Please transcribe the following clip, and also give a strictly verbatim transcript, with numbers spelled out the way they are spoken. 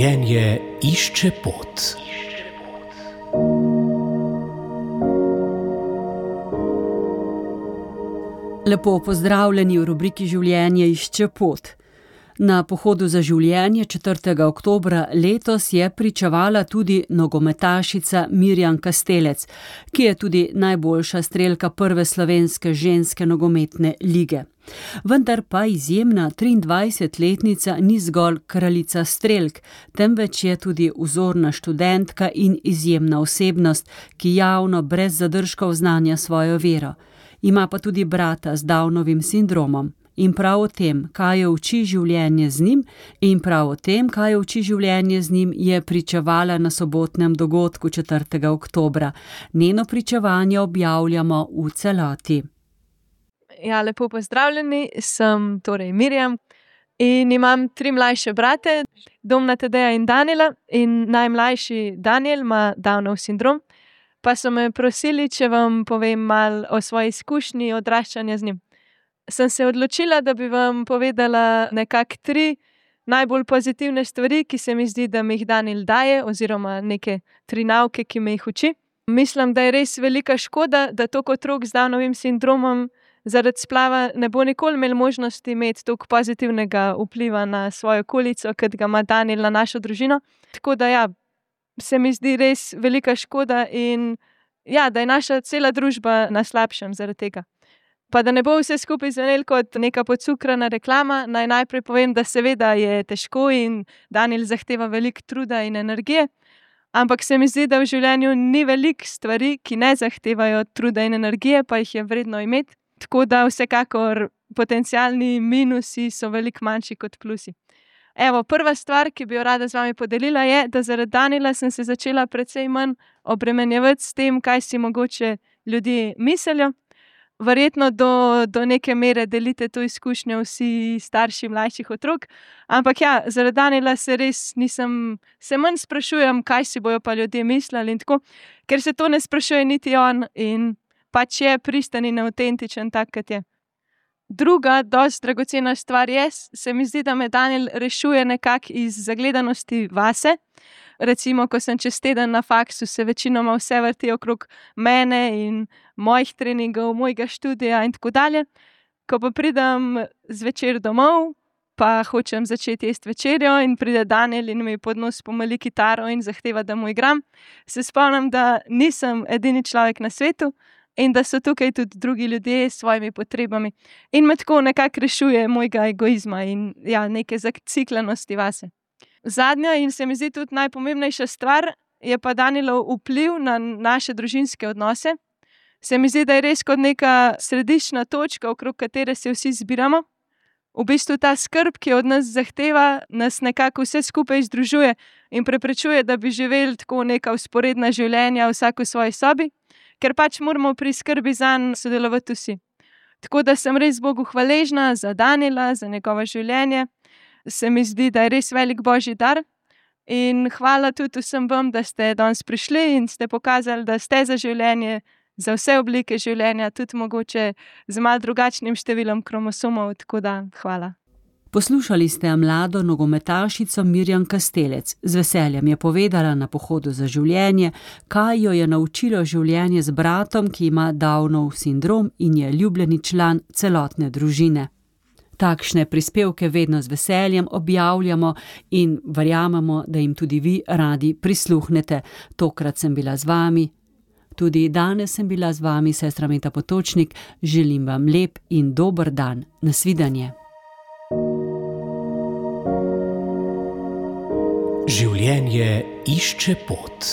Življenje išče pot. Lepo pozdravljeni v rubriki Življenje išče pot. Na pohodu za življenje četrtega oktobra letos je pričevala tudi nogometašica Mirjam Kastelec, ki je tudi najboljša strelka prve slovenske ženske nogometne lige. Vendar pa izjemna triindvajsetletnica ni zgolj kraljica strelk, temveč je tudi vzorna študentka in izjemna osebnost, ki javno brez zadržkov oznanja svojo vero. Ima pa tudi brata z Downovim sindromom. In prav o tem, kaj jo uči življenje z njim, in prav o tem, kaj jo uči življenje z njim, je pričevala na sobotnem dogodku četrtega oktobra. Njeno pričevanje objavljamo v celoti. Ja, lepo pozdravljeni, sem torej Mirjam in imam tri mlajše brate, Domna, Tadeja in Danijela, in najmlajši Danijel ima Downov sindrom, pa so me prosili, če vam povem malo o svoji izkušnji odraščanja z njim. Sem se odločila, da bi vam povedala nekako tri najbolj pozitivne stvari, ki se mi zdi, da mi jih Danijel daje, oziroma neke tri nauke, ki me jih uči. Mislim, da je res velika škoda, da toliko otrok z Downovim sindromom zaradi splava ne bo nikoli imel možnosti imeti toliko pozitivnega vpliva na svojo okolico, kot ga ima Danijel na našo družino. Tako da ja, se mi zdi res velika škoda in ja, da je naša cela družba na slabšem zaradi tega. Pa da ne bo vse skupaj zvenelo kot neka podcukrana reklama, naj najprej povem, da seveda je težko in Danijel zahteva veliko truda in energije, ampak se mi zdi, da v življenju ni veliko stvari, ki ne zahtevajo truda in energije, pa jih je vredno imeti. Tako da vsekakor potencialni minusi so veliko manjši kot plusi. Evo, prva stvar, ki bi jo rada z vami podelila, je, da zaradi Danijela sem se začela precej manj obremenjevati s tem, kaj si mogoče ljudje mislijo. Verjetno do, do neke mere delite to izkušnjo vsi starši mlajših otrok, ampak ja, zaradi Danijela se res nisem, se manj sprašujem, kaj si bojo pa ljudje mislili in tako, ker se to ne sprašuje niti on in pač je pristen in avtentičen tak, kot je. Druga, dosti dragocena stvar je, se mi zdi, da me Danijel rešuje nekako iz zagledanosti vase. Recimo, ko sem čez teden na faksu, se večinoma vse vrti okrog mene in mojih treningov, mojega študija in tako dalje. Ko pa pridem zvečer domov, pa hočem začeti jesti večerjo in pride Danijel in mi pod nos pomali kitaro in zahteva, da mu igram, se spomnim, da nisem edini človek na svetu in da so tukaj tudi drugi ljudje s svojimi potrebami. In me tako nekako rešuje mojega egoizma in ja, neke zaciklenosti vase. Zadnja in se mi zdi tudi najpomembnejša stvar je pa Danijelov vpliv na naše družinske odnose. Se mi zdi, da je res kot neka središčna točka, okrog katere se vsi zbiramo. V bistvu ta skrb, ki od nas zahteva, nas nekako vse skupaj združuje in preprečuje, da bi živeli tako neka vzporedna življenja vsak v svoji sobi, ker pač moramo pri skrbi zanj sodelovati vsi. Tako da sem res Bogu hvaležna za Danijela, za njegovo življenje. Se mi zdi, da je res velik božji dar in hvala tudi vsem vam, da ste danes prišli in ste pokazali, da ste za življenje, za vse oblike življenja, tudi mogoče z malo drugačnim številom kromosomov, tako da hvala. Poslušali ste mlado nogometašico Mirjam Kastelec. Z veseljem je povedala na pohodu za življenje, kaj jo je naučilo življenje z bratom, ki ima Downov sindrom in je ljubljeni član celotne družine. Takšne prispevke vedno z veseljem objavljamo in verjamemo, da jim tudi vi radi prisluhnete. Tokrat sem bila z vami, tudi danes sem bila z vami, sestra Meta Potočnik. Želim vam lep in dober dan. Nasvidenje. Življenje išče pot.